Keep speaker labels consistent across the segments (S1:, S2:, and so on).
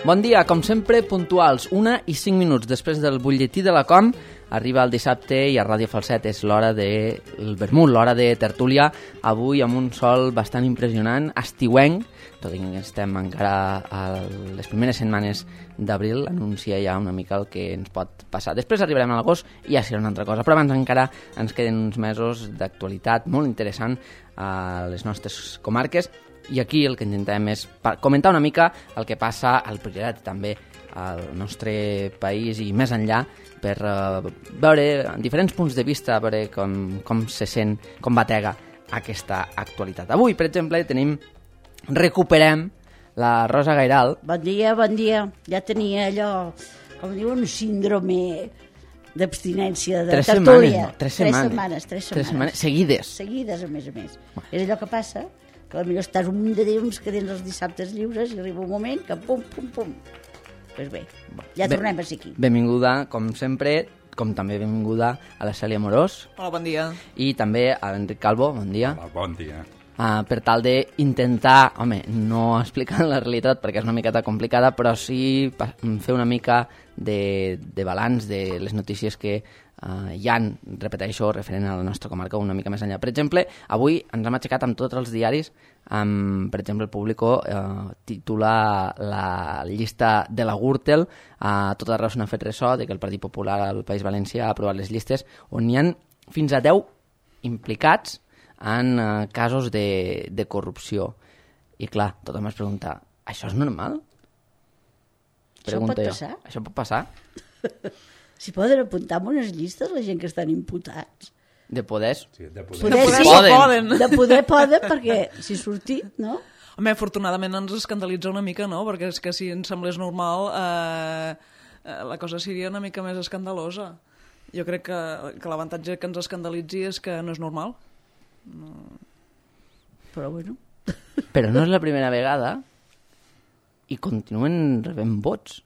S1: Bon dia, com sempre, puntuals, 1:05 després del butlletí de la Com. Arriba el dissabte i a Ràdio Falset és l'hora del vermut, l'hora de tertúlia. Avui amb un sol bastant impressionant, estiuenc, tot i que estem encara a les primeres setmanes d'abril, anuncia ja una mica el que ens pot passar. Després arribarem a l'agost i ja serà una altra cosa, però abans encara ens queden uns mesos d'actualitat molt interessant a les nostres comarques. I aquí el que intentem és comentar una mica el que passa al Priorat i també al nostre país i més enllà per veure en diferents punts de vista veure com se sent, com batega aquesta actualitat. Avui, per exemple, recuperem la Rosa Gairal.
S2: Bon dia, bon dia. Ja tenia allò, com diuen, síndrome d'abstinència de tertúlia.
S1: 3 setmanes. Seguides,
S2: a més. És allò que passa, que potser estàs un munt de temps que tens els dissabtes lliures i arriba un moment que pum. Doncs bé, ja tornem a ser aquí.
S1: Benvinguda, com sempre, com també benvinguda a la Cèlia Morós.
S3: Hola, bon dia.
S1: I també a l'Enric Calvo, bon dia.
S4: Hola, bon dia.
S1: Per tal d'intentar, no explicar la realitat perquè és una miqueta complicada, però sí fer una mica de balanç de les notícies que hi han, repeteixo, referent a la nostra comarca una mica més enllà. Per exemple, avui ens hem aixecat amb tots els diaris, per exemple, el Público titula la llista de la Gürtel, a tot arreu se n'ha fet ressò de que el Partit Popular al País Valencià ha aprovat les llistes on hi ha fins a 10 implicats en casos de corrupció. I clar, tothom es pregunta, això és normal? Pregunto jo. Això pot passar?
S2: Si poden apuntar en unes llistes la gent que estan imputats.
S1: De poders?
S4: Sí, de
S3: poden.
S2: De poder poden, perquè si sortit, no?
S3: Home, afortunadament ens escandalitza una mica, no? Perquè és que si ens semblés normal la cosa seria una mica més escandalosa. Jo crec que l'avantatge que ens escandalitzi és que no és normal. No.
S2: Però bueno.
S1: Però no és la primera vegada i continuen rebent vots.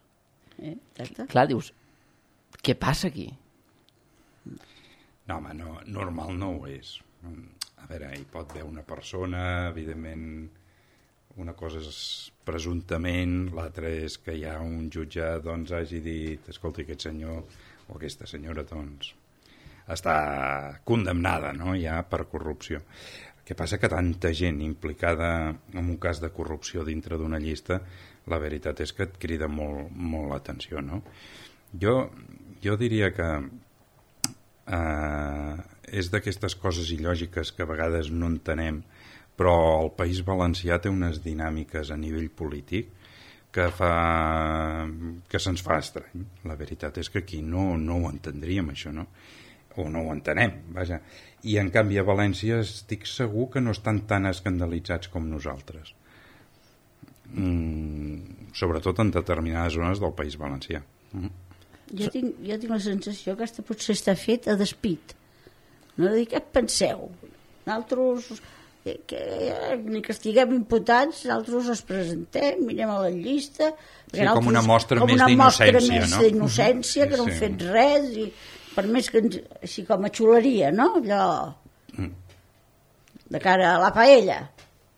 S2: Exacte.
S1: Clar, dius, què passa aquí?
S4: No, home, no, normal no ho és. A veure, hi pot haver una persona, evidentment, una cosa és presumptament, l'altra és que hi ha un jutge, doncs, hagi dit, escolta, aquest senyor o aquesta senyora, doncs, està condemnada, no?, ja per corrupció. El que passa que tanta gent implicada en un cas de corrupció dintre d'una llista, la veritat és que et crida molt, molt l'atenció, no? Jo diria que és d'aquestes coses il·lògiques que a vegades no entenem, però el País Valencià té unes dinàmiques a nivell polític que se'ns fa estrany. La veritat és que aquí no ho entendríem, això, no? O no ho entenem, vaja. I en canvi a València estic segur que no estan tan escandalitzats com nosaltres. Sobretot en determinades zones del País Valencià.
S2: Jo tinc la sensació que aquesta potser està fet a despit. No de dir, què penseu? Nosaltres, ni que estiguem imputats, nosaltres els presentem, mirem a la llista...
S4: Sí, com una mostra més d'innocència, no?
S2: D'innocència, que no hem fet res, i per més que així com a xuleria, no? Allò de cara a la paella.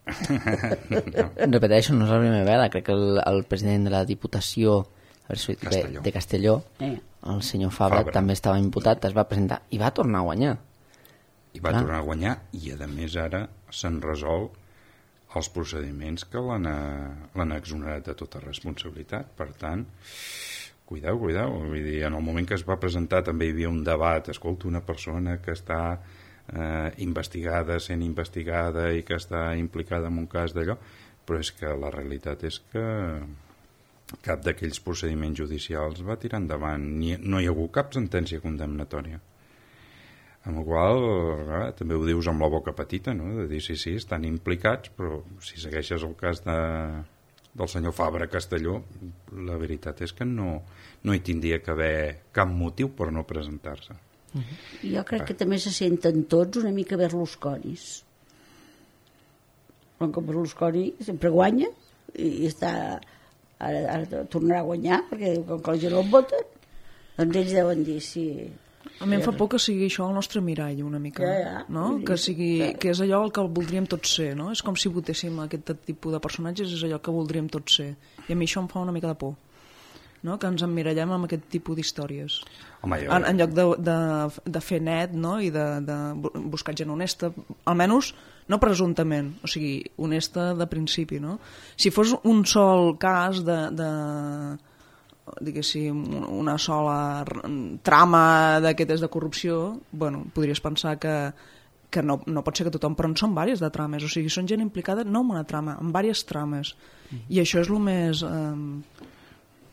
S1: Repeteixo, no és la primera vegada. Crec que el president de la Diputació de Castelló, el senyor Fabra, també estava imputat, es va presentar i va tornar a guanyar.
S4: I va tornar a guanyar i a més ara s'han resolt els procediments que l'han exonerat de tota responsabilitat. Per tant, cuideu. Vull dir, en el moment que es va presentar també hi havia un debat. Escolta, una persona que està sent investigada i que està implicada en un cas d'allò, però és que la realitat és que cap d'aquells procediments judicials va tirar endavant. No hi ha hagut cap sentència condemnatòria. Amb la qual cosa, també ho dius amb la boca petita, no? De dir, sí, estan implicats, però si segueixes el cas del senyor Fabra Castelló, la veritat és que no hi tindria que haver cap motiu per no presentar-se.
S2: Jo crec que també se senten tots una mica berlusconis. Com Berlusconi sempre guanya i està... Ara tornarà a guanyar perquè com que la gent no el vota, doncs ells deuen dir sí,
S3: A mi em fa por que sigui això el nostre mirall, una mica, no? Que és allò el que voldríem tots ser, no? És com si votéssim aquest tipus de personatges, és allò que voldríem tots ser. I a mi això em fa una mica de por, no? Que ens emmirallem amb aquest tipus d'històries. En lloc de fer net, no? I de buscar gent honesta, almenys no presumptament, o sigui, honesta de principi, no? Si fos un sol cas diguéssim, una sola trama d'aquestes de corrupció, bueno, podries pensar que no pot ser que tothom, però en són diverses de trames, o sigui, són gent implicada no en una trama, en diverses trames, i això és el més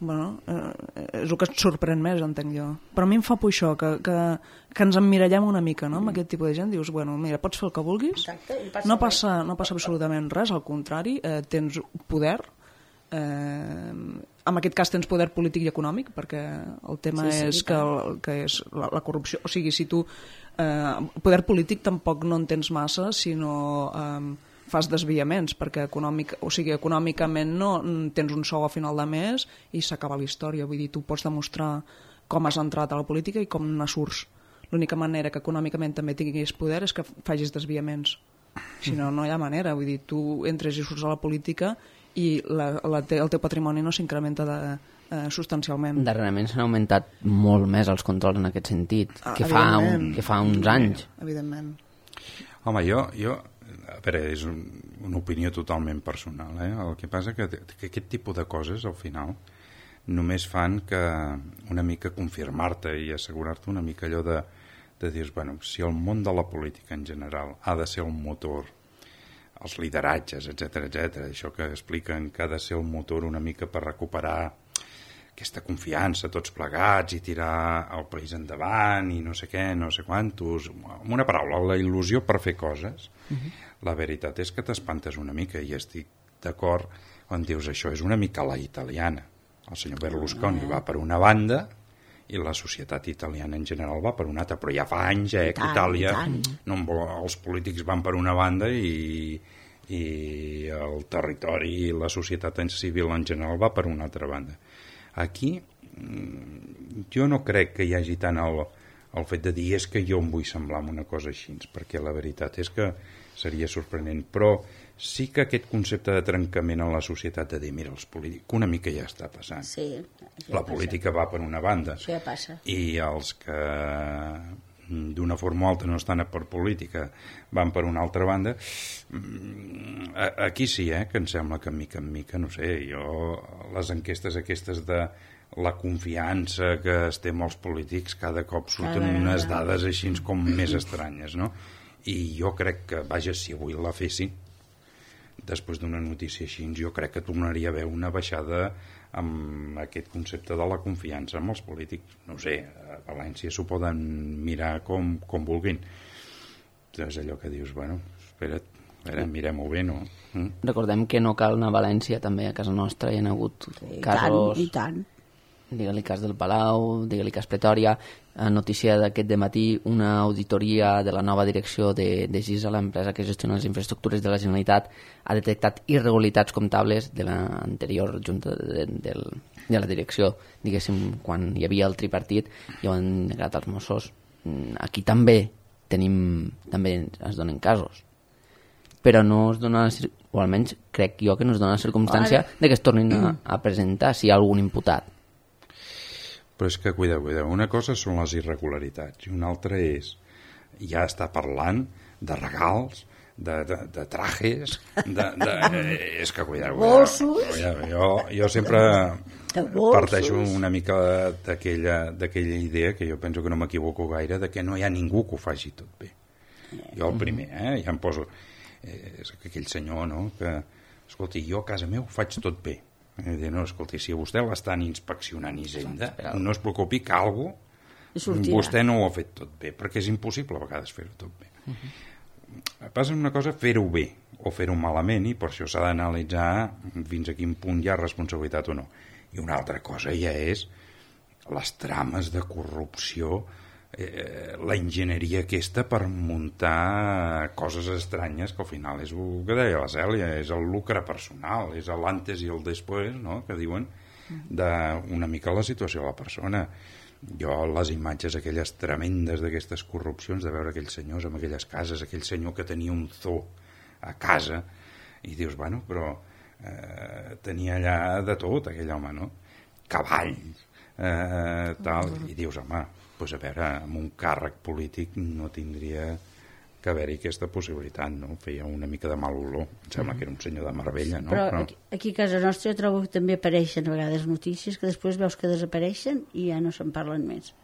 S3: és el que et sorprèn més, entenc jo, però a mi em fa por això, que ens emmirallem una mica, no?, amb aquest tipus de gent. Dius, bueno, mira, pots fer el que vulguis, no passa absolutament res, al contrari, tens poder, en aquest cas tens poder polític i econòmic, perquè el tema és que és la corrupció, o sigui, si tu poder polític tampoc no en tens massa si no fas desviaments, perquè econòmicament no tens un sou a final de mes i s'acaba la història, vull dir, tu pots demostrar com has entrat a la política i com ne surts. L'única manera que econòmicament també tinguis poder és que facis desviaments, si no, no hi ha manera, vull dir, tu entres i surts a la política i el teu patrimoni no s'incrementa substancialment.
S1: Darrerament s'han augmentat molt més els controls en aquest sentit que fa uns anys.
S3: Evidentment.
S4: Home, jo a veure, és una opinió totalment personal, el que passa que aquest tipus de coses al final només fan que una mica confirmar-te i assegurar-te una mica allò de dir, bueno, si el món de la política en general ha de ser un motor, els lideratges, etc, això que expliquen que ha de ser un motor una mica per recuperar aquesta confiança tots plegats i tirar el país endavant i no sé què, no sé quantos, amb una paraula, la il·lusió per fer coses. La veritat és que t'espantes una mica i estic d'acord quan dius això és una mica la italiana. El senyor Berlusconi va per una banda i la societat italiana en general va per una altra, però ja fa anys que Itàlia els polítics van per una banda i el territori i la societat civil en general va per una altra banda. Aquí jo no crec que hi hagi tant el fet de dir és que jo em vull semblar en una cosa així, perquè la veritat és que seria sorprenent, però sí que aquest concepte de trencament en la societat de dir, mira, els polítics, una mica ja està passant.
S2: Sí,
S4: la política va per una banda.
S2: Això ja passa.
S4: I els que d'una forma o altra no estan per política van per una altra banda. Aquí sí, que em sembla que mica en mica, no sé, les enquestes aquestes de la confiança que estem els polítics cada cop surten unes dades així com més estranyes, no? I jo crec que, vaja, si avui la fessin, després d'una notícia així, jo crec que tornaria a haver una baixada amb aquest concepte de la confiança amb els polítics. No sé, a València s'ho poden mirar com vulguin. És allò que dius, bueno, espera't, mirem-ho bé, no?
S1: Recordem que no cal anar a València, també a casa nostra hi ha hagut casos...
S2: I tant.
S1: Digue-li cas del Palau, digue-li cas Pretòria, notícia d'aquest dematí, una auditoria de la nova direcció de GISA, l'empresa que gestiona les infraestructures de la Generalitat, ha detectat irregularitats comptables de l'anterior junta de la direcció, diguéssim, quan hi havia el tripartit, i ho han negat als Mossos. Aquí també es donen casos, però no es dona, o almenys crec jo que no es dona la circumstància de que es tornin a presentar si hi ha algun imputat.
S4: Però és que, cuida, una cosa són les irregularitats i una altra és ja està parlant de regals, de trajes, és que, cuida, jo sempre parteixo una mica d'aquella idea, que jo penso que no m'equivoco gaire, de que no hi ha ningú que ho faci tot bé. Jo el primer, ja em poso... És aquell senyor, no?, que, escolti, jo a casa meu ho faig tot bé. No, escolti, si vostè l'estan inspeccionant Hisenda, no es preocupi que vostè no ho ha fet tot bé, perquè és impossible a vegades fer-ho tot bé. Passa una cosa fer-ho bé o fer-ho malament, i per això s'ha d'analitzar fins a quin punt hi ha responsabilitat o no. I una altra cosa ja és les trames de corrupció, la enginyeria aquesta per muntar coses estranyes, que al final és el que deia la Cèlia, és el lucre personal, és l'antes i el després, no?, que diuen, d'una mica la situació de la persona. Jo, les imatges aquelles tremendes d'aquestes corrupcions, de veure aquells senyors amb aquelles cases, aquell senyor que tenia un zoo a casa, i dius, bueno, però tenia allà de tot, aquell home, no? Cavalls, tal, i dius, home, doncs a veure, amb un càrrec polític no tindria que haver-hi aquesta possibilitat, no? Feia una mica de mal olor. Em sembla que era un senyor de Marbella, no?
S2: Però aquí a casa nostra jo trobo que també apareixen a vegades notícies que després veus que desapareixen i ja no se'n parlen més.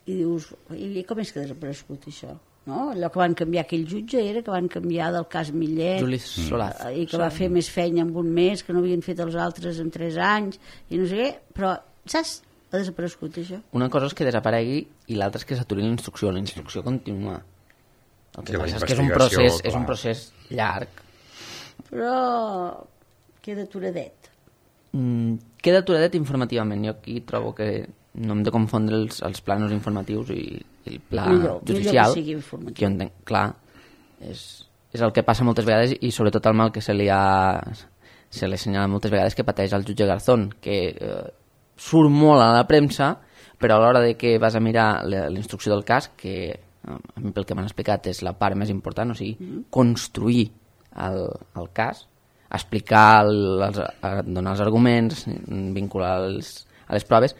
S2: I dius, i com és que ha desaparegut això? No? Allò que van canviar aquell jutge era que van canviar del cas Millet
S1: Juli Solaz.
S2: I que va fer més feina en un mes que no havien fet els altres en 3 anys i no sé què, però saps? Ha desaparegut això.
S1: Una cosa és que desaparegui i l'altra és que s'aturi la instrucció continua. El que passa és que és un procés llarg.
S2: Però queda aturadet.
S1: Queda aturadet informativament. Jo aquí trobo que no hem de confondre els planos informatius i el pla judicial.
S2: Que sigui informatiu.
S1: Que jo entenc, clar, és el que passa moltes vegades i sobretot el mal que se li assenyala moltes vegades que pateix el jutge Garzón, que surt molt a la premsa, però a l'hora de que vas a mirar la instrucció del cas, que a mi pel que m'han explicat és la part més important, o sigui, construir el cas, explicar, donar els arguments, vincular a les proves,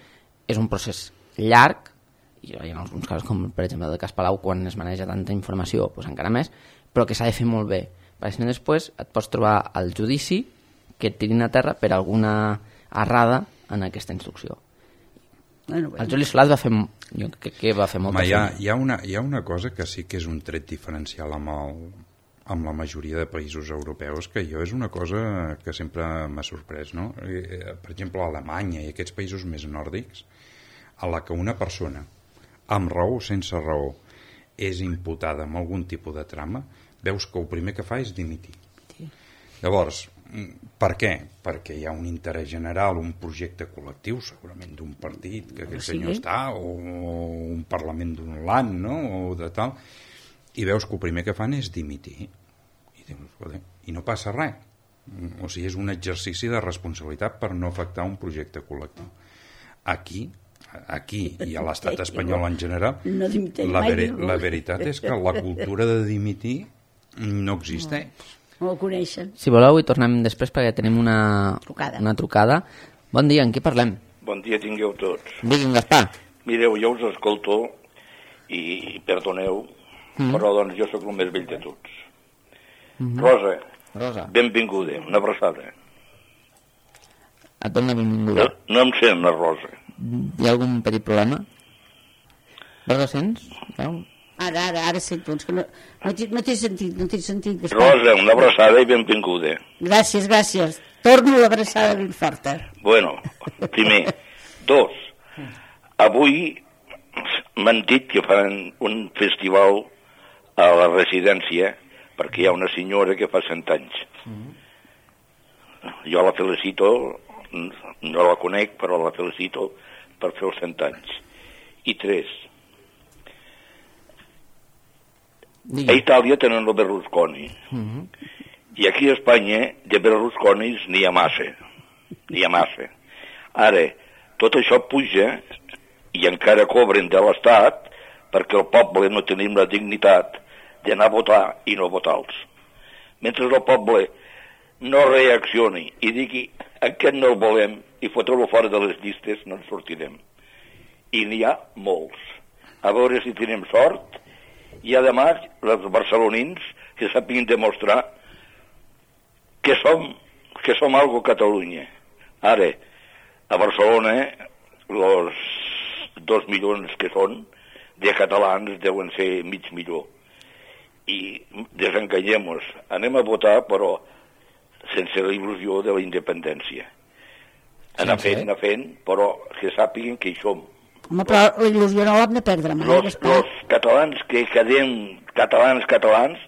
S1: és un procés llarg, i en alguns casos, com per exemple el cas Palau, quan es maneja tanta informació, doncs encara més, però que s'ha de fer molt bé, perquè si no després et pots trobar al judici que et tirin a terra per alguna errada en aquesta instrucció.
S2: Bueno.
S1: El Juli Solaz va fer, jo crec que va fer molta feina.
S4: Hi ha una cosa que sí que és un tret diferencial amb la majoria de països europeus, que jo és una cosa que sempre m'ha sorprès, no? Per exemple, a Alemanya i aquests països més nòrdics, a la que una persona, amb raó o sense raó, és imputada amb algun tipus de trama, veus que el primer que fa és dimitir. Sí. Llavors, per què? Perquè hi ha un interès general, un projecte col·lectiu, segurament d'un partit que aquell senyor està, o un parlament d'un land, no? O de tal, i veus que el primer que fan és dimitir. I dius, i no passa res. O sigui, és un exercici de responsabilitat per no afectar un projecte col·lectiu. Aquí i a l'estat espanyol en general, la veritat és que la cultura de dimitir no existeix.
S2: No ho coneixen.
S1: Si voleu, hi tornem després perquè tenim una trucada. Bon dia, en qui parlem?
S5: Bon dia tingueu tots.
S1: Digui'm, Gaspar.
S5: Mireu, jo us escolto i perdoneu, però doncs jo sóc el més vell de tots. Rosa, benvinguda, una abraçada.
S1: Et dono la benvinguda.
S5: No em sent la Rosa.
S1: Hi ha algun petit problema? Rosa, sents?
S2: Ara sento, que no t'he sentit.
S5: Rosa, una abraçada i benvinguda.
S2: Gràcies. Torno l'abraçada ben forta.
S5: Bueno, primer. 2, avui m'han dit que fan un festival a la residència perquè hi ha una senyora que fa 100 anys. Jo la felicito, no la conec, però la felicito per fer els 100 anys. I 3, a Itàlia tenen el Berlusconi. I aquí a Espanya de Berlusconis n'hi ha massa. Ara, tot això puja i encara cobren de l'Estat perquè el poble no tenim la dignitat d'anar a votar i no votar-los. Mentre el poble no reaccioni i digui aquest no el volem i fotre-lo fora de les llistes, no en sortirem. I n'hi ha molts. A veure si tenim sort. I además els barcelonins que sàpiguen demostrar que som algo Catalunya. Ara, a Barcelona, els 2 milions que són de catalans deuen ser mig milió. I desenganyem-nos. Anem a votar, però sense la il·lusió de la independència. Anar fent, però que sàpiguen que hi som.
S2: Home, però la il·lusió no l'hem de perdre mai.
S5: Els catalans que quedem catalans,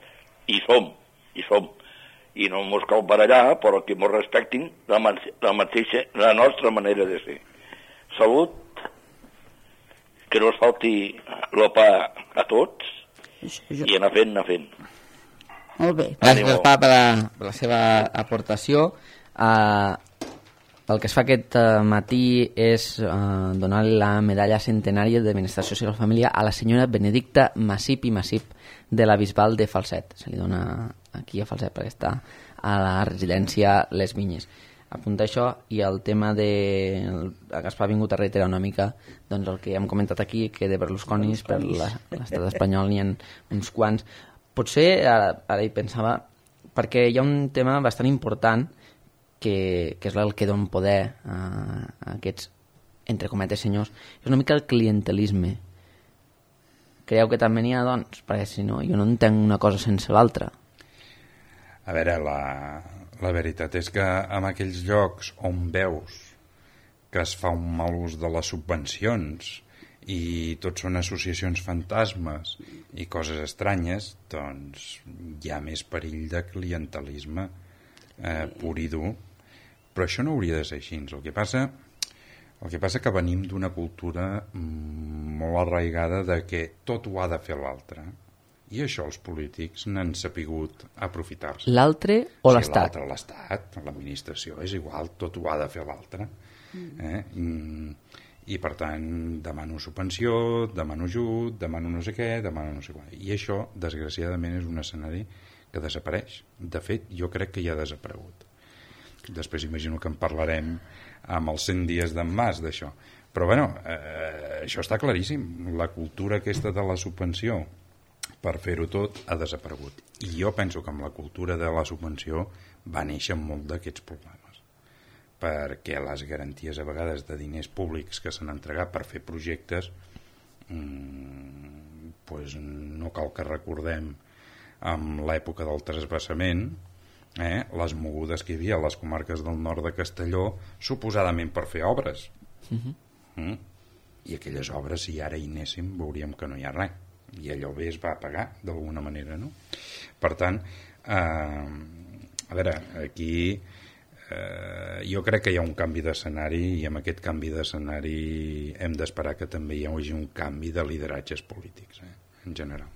S5: hi som. I no mos cal barallar, però que mos respectin la nostra manera de ser. Salut, que no es falti el pa a tots, i anar fent.
S2: Molt bé.
S1: Gràcies, Gaspar, per la seva aportació. el que es fa aquest matí és donar la medalla centenària de Benestar Social i Família a la senyora Benedicta Massip i Massip de la Bisbal de Falset. Se li dona aquí a Falset perquè està a la residència Les Vinyes. Apunta això, i el tema de Gaspar ha vingut a reiterar una mica doncs el que hem comentat aquí, que de Berlusconis per l'estat espanyol n'hi ha uns quants. Potser, ara hi pensava, perquè hi ha un tema bastant important que és el que dona poder a aquests, entre cometes, senyors, és una mica el clientelisme. Creieu que també n'hi ha, doncs? Perquè si no, jo no entenc una cosa sense l'altra.
S4: A veure, la veritat és que en aquells llocs on veus que es fa un mal ús de les subvencions i tot són associacions fantasmes i coses estranyes, doncs hi ha més perill de clientelisme pur i dur. Però això no hauria de ser així. El que passa que venim d'una cultura molt arraigada de que tot ho ha de fer l'altre. I això els polítics n'han sapigut aprofitar-se.
S1: L'altre o l'Estat?
S4: Sí, l'Estat, l'administració, és igual, tot ho ha de fer l'altre. I per tant demano subvenció, demano ajut, demano no sé què, demano no sé què. I això, desgraciadament, és un escenari que desapareix. De fet, jo crec que ja ha desaparegut. Després imagino que en parlarem amb els 100 dies d'en Mas d'això. Però bueno, això està claríssim. La cultura aquesta de la subvenció per fer-ho tot ha desaparegut. I jo penso que amb la cultura de la subvenció va néixer molt d'aquests problemes. Perquè les garanties a vegades de diners públics que s'han entregat per fer projectes doncs no cal que recordem amb l'època del transvasament les mogudes que hi havia a les comarques del nord de Castelló suposadament per fer obres. I aquelles obres, si ara hi anéssim, veuríem que no hi ha res. I allò bé es va pagar d'alguna manera, no? Per tant, a veure, aquí jo crec que hi ha un canvi d'escenari i amb aquest canvi d'escenari hem d'esperar que també hi hagi un canvi de lideratges polítics, en general.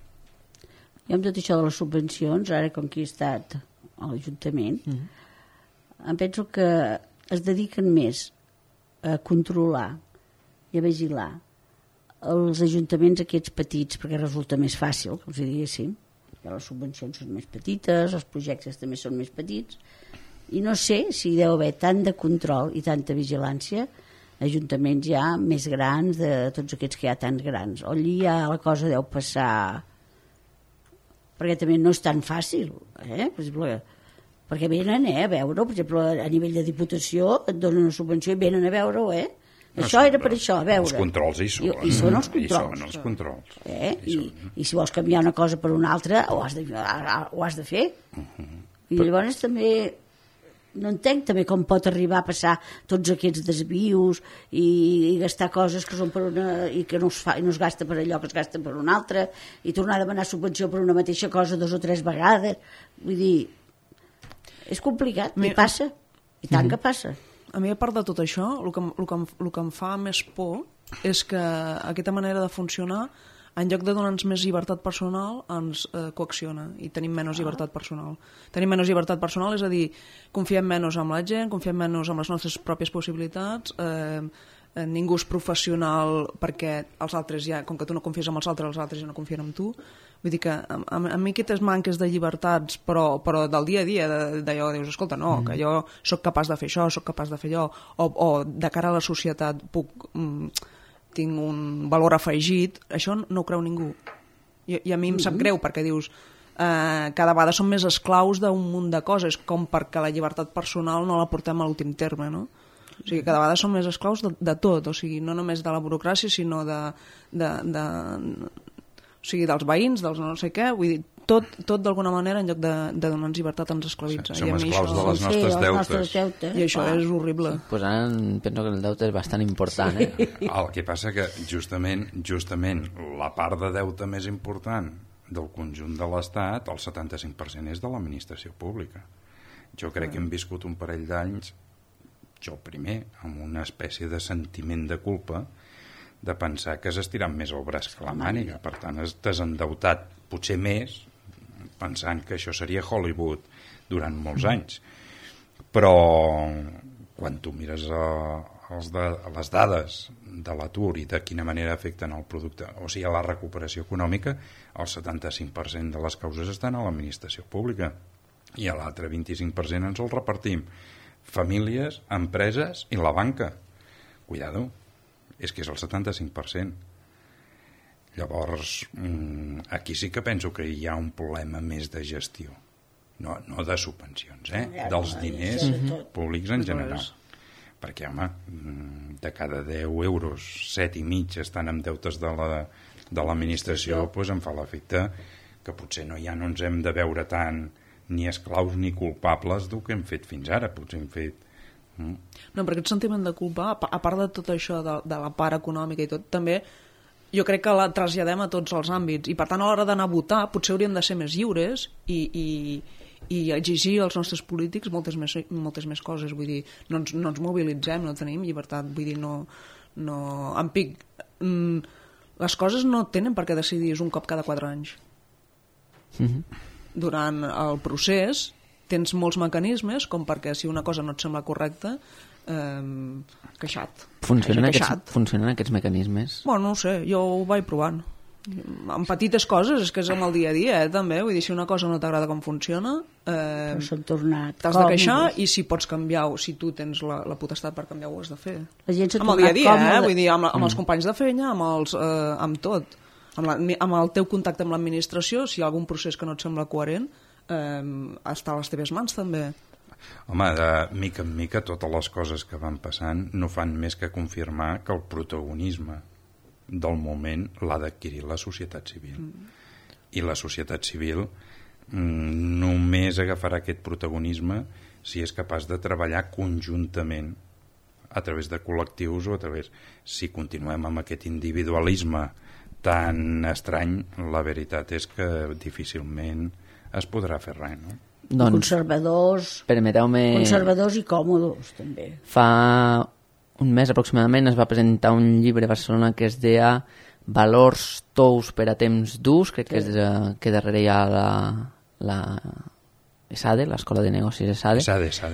S2: I amb tot això de les subvencions, ara com que he estat a l'Ajuntament, em penso que es dediquen més a controlar i a vigilar els ajuntaments aquests petits, perquè resulta més fàcil, com si diguéssim, que les subvencions són més petites, els projectes també són més petits, i no sé si deu haver tant de control i tanta vigilància ajuntaments ja més grans, de tots aquests que hi ha tan grans. Allí ja la cosa deu passar, perquè també no és tan fàcil, per exemple, perquè venen a veure, per exemple, a nivell de Diputació et donen una subvenció i venen a veure-ho, Això era per això, a veure.
S4: Els controls hi són.
S2: I són els controls.
S4: I són els controls.
S2: I si vols canviar una cosa per una altra, ho has de fer. I llavors també no entenc també com pot arribar a passar tots aquests desvius i gastar coses que són per una i que no es fa i no es gasta per allò que es gasta per una altra i tornar a demanar subvenció per una mateixa cosa 2 o 3 vegades. Vull dir, és complicat, i passa. I tant que passa.
S3: A mi, a part de tot això, el que em fa més por és que aquesta manera de funcionar, en lloc de donar-nos més llibertat personal, ens coacciona i tenim menys llibertat personal. Tenim menys llibertat personal, és a dir, confiem menys en la gent, confiem menys en les nostres pròpies possibilitats, ningú és professional perquè els altres ja, com que tu no confies en els altres ja no confien en tu. Vull dir que a mi aquestes manques de llibertats, però del dia a dia, d'allò dius, escolta, no, que jo sóc capaç de fer això, sóc capaç de fer allò, o de cara a la societat tinc un valor afegit, això no ho creu ningú. I a mi em sap greu, perquè dius, cada vegada som més esclaus d'un munt de coses, com perquè la llibertat personal no la portem a l'últim terme, no? O sigui, cada vegada som més esclaus de tot, o sigui, no només de la burocràcia, sinó o sigui, dels veïns, dels no sé què, vull dir, tot d'alguna manera, en lloc de donar-nos llibertat, ens esclavitza.
S4: Som esclaus de les nostres deutes.
S3: I això és horrible.
S1: Pues ara penso que el deute és bastant important.
S4: El que passa que justament la part de deute més important del conjunt de l'Estat, el 75% és de l'administració pública. Jo crec que hem viscut un parell d'anys, jo primer, amb una espècie de sentiment de culpa, de pensar que has estirat més el braç que la màniga. Per tant, has desendeutat potser més, pensant que això seria Hollywood durant molts anys. Però quan tu mires les dades de l'atur i de quina manera afecten el producte, o sigui, a la recuperació econòmica, el 75% de les causes estan a l'administració pública i a l'altre 25% ens el repartim famílies, empreses i la banca. Cuidado, és que és el 75%. Llavors, aquí sí que penso que hi ha un problema més de gestió, no de subvencions, dels diners públics en general. Perquè, home, de cada 10 euros, 7,5 estan en deutes de l'administració, doncs em fa l'efecte que potser no ens hem de veure tant ni esclaus ni culpables del que hem fet fins ara. Potser hem fet...
S3: No, però aquest sentiment de culpa, a part de tot això, de la part econòmica i tot, també jo crec que la traslladem a tots els àmbits, i per tant a l'hora d'anar a votar potser hauríem de ser més lliures i exigir als nostres polítics moltes més coses. Vull dir, no ens mobilitzem, no tenim llibertat, vull dir, les coses no tenen per què decidir un cop cada 4 anys. Durant el procés tens molts mecanismes com perquè si una cosa no et sembla correcta, queixat.
S1: Funcionen aquests mecanismes?
S3: Bueno, no ho sé, jo ho vaig provant. En petites coses, és que és amb el dia a dia, també. Vull dir, si una cosa no t'agrada com funciona, t'has de queixar, i si pots canviar, o si tu tens la potestat per canviar, ho has de fer. Amb el dia a dia, vull dir, amb els companys de feina, amb tot. Amb el teu contacte amb l'administració, si hi ha algun procés que no et sembla coherent, està a les teves mans, també.
S4: Home, de mica en mica totes les coses que van passant no fan més que confirmar que el protagonisme del moment l'ha d'adquirir la societat civil. I la societat civil només agafarà aquest protagonisme si és capaç de treballar conjuntament a través de col·lectius o a través... Si continuem amb aquest individualisme tan estrany, la veritat és que difícilment es podrà fer res, no?
S1: Doncs,
S2: conservadors i còmodes, també.
S1: Fa un mes aproximadament es va presentar un llibre a Barcelona que es deia Valors tous per a temps durs, crec que és que darrere hi ha la ESADE, l'Escola de Negocis ESADE,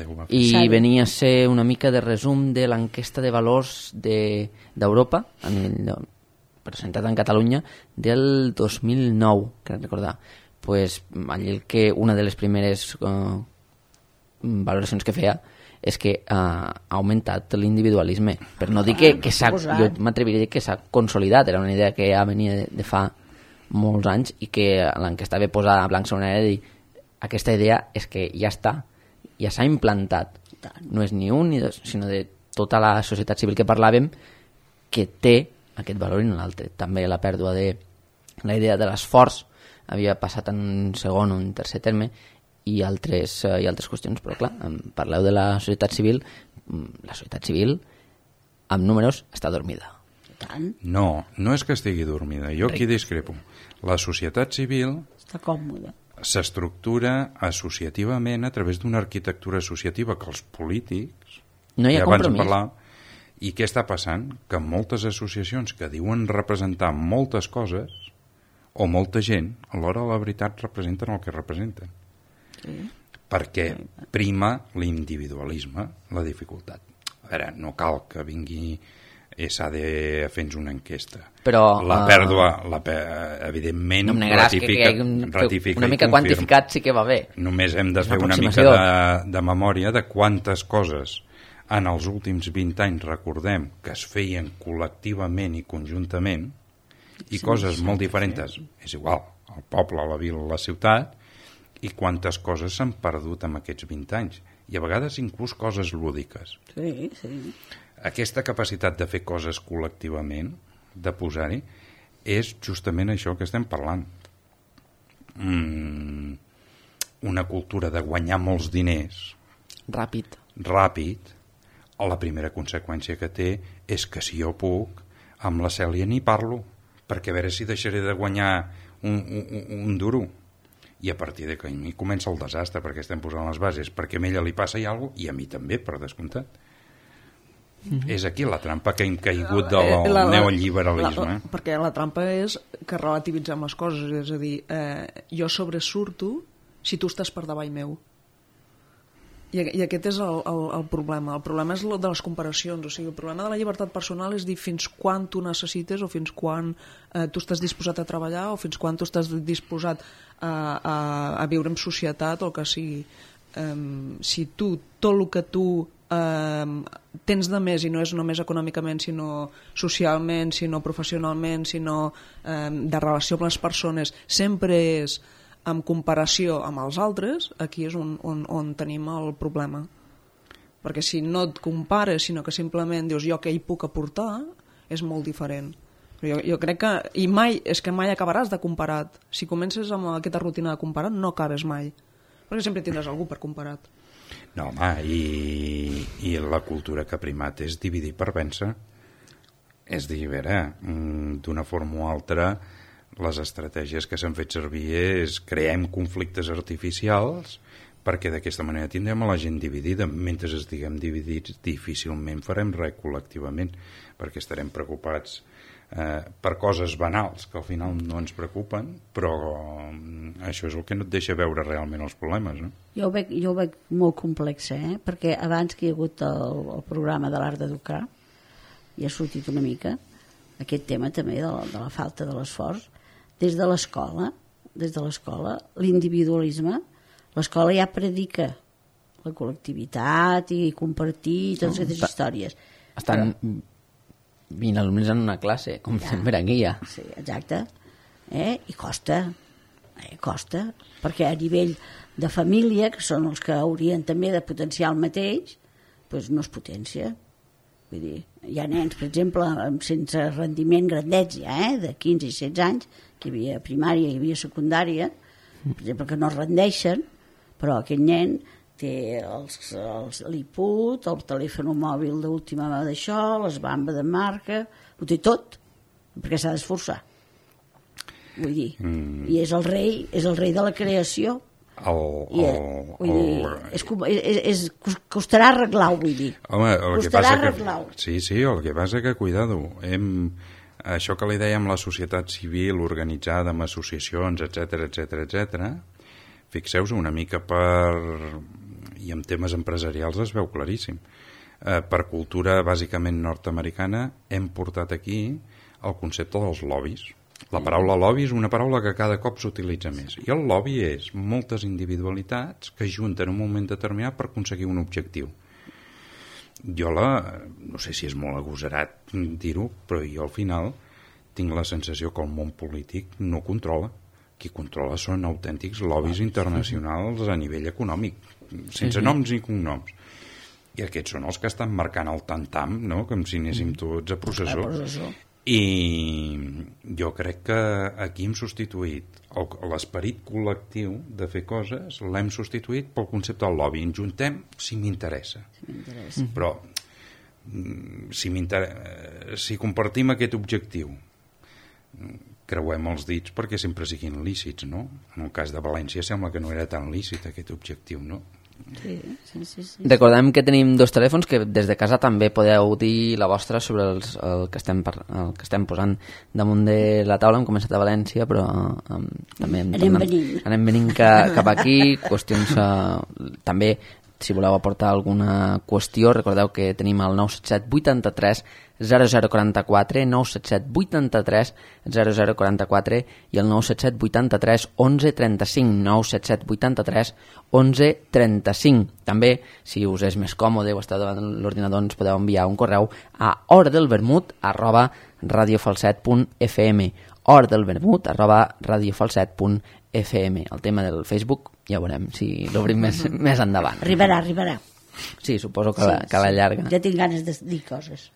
S4: ho va fer.
S1: I venia a ser una mica de resum de l'enquesta de valors d'Europa, a nivell presentat en Catalunya, del 2009, crec recordar. Pues, allí una de les primeres valoracions que feia és que ha augmentat l'individualisme, per no dir que jo m'atreviria a dir que s'ha consolidat. Era una idea que ja venia de fa molts anys i que l'enquesta ve posada a blanc sobre negre de dir aquesta idea és que ja està, ja s'ha implantat, no és ni un ni dos, sinó de tota la societat civil que parlàvem, que té aquest valor i no l'altre. També la pèrdua de la idea de l'esforç havia passat en un segon o un tercer terme i altres qüestions, però clar, parleu de la societat civil amb números està dormida.
S4: No és que estigui dormida, jo aquí discrepo. La societat civil
S2: està còmoda,
S4: s'estructura associativament a través d'una arquitectura associativa que els polítics
S1: no hi ha compromís.
S4: I què està passant? Que moltes associacions que diuen representar moltes coses o molta gent, alhora la veritat representen el que representen. Perquè prima l'individualisme, la dificultat. A veure, no cal que vingui ESADE a fer-nos una enquesta.
S1: Però
S4: la pèrdua, evidentment,
S1: no ratifica una mica quantificat sí que va bé.
S4: Només hem de fer una mica de memòria de quantes coses en els últims 20 anys recordem que es feien col·lectivament i conjuntament i coses molt diferents, és igual, el poble, la vila, la ciutat, i quantes coses s'han perdut en aquests 20 anys. I a vegades inclús coses lúdiques.
S2: Sí.
S4: Aquesta capacitat de fer coses col·lectivament, de posar-hi, és justament això que estem parlant. Una cultura de guanyar molts diners
S1: ràpid,
S4: la primera conseqüència que té és que si jo puc, amb la Cèlia ni parlo, perquè a veure si deixaré de guanyar un duro. I a partir d'aquí a mi comença el desastre, perquè estem posant les bases, perquè a ella li passa alguna cosa, i a mi també, per descomptat. És aquí la trampa que hem caigut del neoliberalisme.
S3: Perquè la trampa és que relativitzem les coses, és a dir, jo sobresurto si tu estàs per davall meu. I aquest és el problema. El problema és el de les comparacions. O sigui, el problema de la llibertat personal és dir fins quan tu necessites o fins quan tu estàs disposat a treballar o fins quan tu estàs disposat a viure en societat o el que sigui. Si tu, tot el que tu tens de més, i no és només econòmicament, sinó socialment, sinó professionalment, sinó de relació amb les persones, sempre és en comparació amb els altres, aquí és on tenim el problema. Perquè si no et compares, sinó que simplement dius jo què hi puc aportar, és molt diferent. Jo crec que, i mai, és que mai acabaràs de comparat. Si comences amb aquesta rutina de comparat, no acabes mai. Perquè sempre tindràs algú per comparat.
S4: No, home, i la cultura que ha primat és dividir per vèncer. És dir, a veure, d'una forma o altra, les estratègies que s'han fet servir és creem conflictes artificials perquè d'aquesta manera tindrem a la gent dividida. Mentre estiguem dividits difícilment farem res col·lectivament, perquè estarem preocupats per coses banals que al final no ens preocupen, però això és el que no et deixa veure realment els problemes, no?
S2: Jo ho veig molt complex, perquè abans que hi ha hagut el programa de l'art d'educar i ha sortit una mica aquest tema també de la falta de l'esforç. Des de l'escola, l'individualisme, l'escola ja predica la col·lectivitat i compartir totes aquestes històries.
S1: Estan 20 alumnes en una classe, com sempre aquí ja.
S2: Sí, exacte. I costa, perquè a nivell de família, que són els que haurien també de potenciar el mateix, doncs no es potencia. Vull dir, hi ha nens, per exemple, sense rendiment grandets ja, de 15 i 16 anys, que hi havia primària, hi havia secundària, per exemple, que no rendeixen, però aquest nen té l'IPUT, el telèfon mòbil d'última d'això, les bambes de marca, ho té tot, perquè s'ha d'esforçar. Vull dir, i és el rei de la creació. Costarà arreglar-ho, vull dir.
S4: Home, costarà arreglar-ho. Sí, el que passa que, cuidado, això que li dèiem la societat civil organitzada amb associacions, etc. Fixeu-vos una mica i en temes empresarials es veu claríssim. Per cultura bàsicament nord-americana hem portat aquí el concepte dels lobbies. La paraula lobby és una paraula que cada cop s'utilitza més. I el lobby és moltes individualitats que junten en un moment determinat per aconseguir un objectiu. Jo no sé si és molt agosarat dir-ho, però jo al final tinc la sensació que el món polític no controla. Qui controla són autèntics lobbies internacionals a nivell econòmic, sense noms ni cognoms. I aquests són els que estan marcant el tam-tam, no? Com si anéssim tots a processó. I jo crec que aquí hem substituït l'esperit col·lectiu de fer coses, l'hem substituït pel concepte del lobby. Ens juntem si m'interessa. Però si compartim aquest objectiu, creuem els dits perquè sempre siguin lícits, no? En el cas de València sembla que no era tan lícit aquest objectiu, no?
S2: Sí.
S1: Recordem que tenim 2 telèfons que des de casa també podeu dir la vostra sobre el que estem posant damunt de la taula. Hem començat a València, però també anem venint cap aquí. Qüestions també, si voleu aportar alguna qüestió, recordeu que tenim el 977 83 0044, 977 83 0044 i el 977 83 11 35, 977 83 11 35. També, si us és més còmode o esteu davant l'ordinador, ens podeu enviar un correu a horadelvermut@radiofalset.fm, horadelvermut@radiofalset.fm. El tema del Facebook ja veurem si l'obrim més endavant.
S2: Arribarà.
S1: Sí, suposo que la llarga.
S2: Ja tinc ganes de dir coses.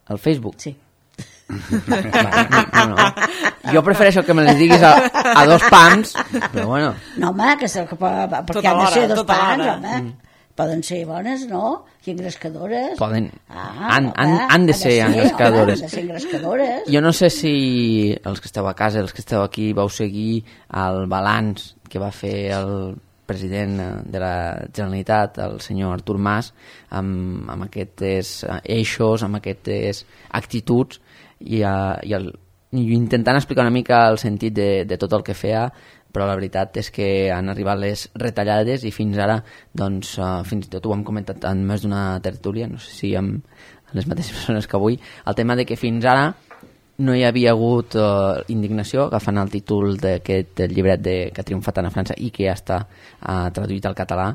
S1: El Facebook?
S2: Sí.
S1: No. Jo prefereixo que me les diguis a 2 pams, però bueno.
S2: No, home, perquè han de ser 2 pams, home. Poden ser bones, no? I engrescadores.
S1: Han de ser engrescadores.
S2: Han de ser engrescadores.
S1: Jo no sé si els que esteu a casa, els que esteu aquí, vau seguir el balanç que va fer el president de la Generalitat, el senyor Artur Mas, amb aquests eixos, amb aquestes actituds i intentant explicar una mica el sentit de tot el que feia. però la veritat és que han arribat les retallades i fins ara, doncs, fins i tot ho hem comentat en més d'una tertúlia, no sé si amb les mateixes persones que avui, el tema de que fins ara no hi havia hagut indignació, agafant el títol d'aquest llibret que ha triomfat a França i que ja està traduït al català.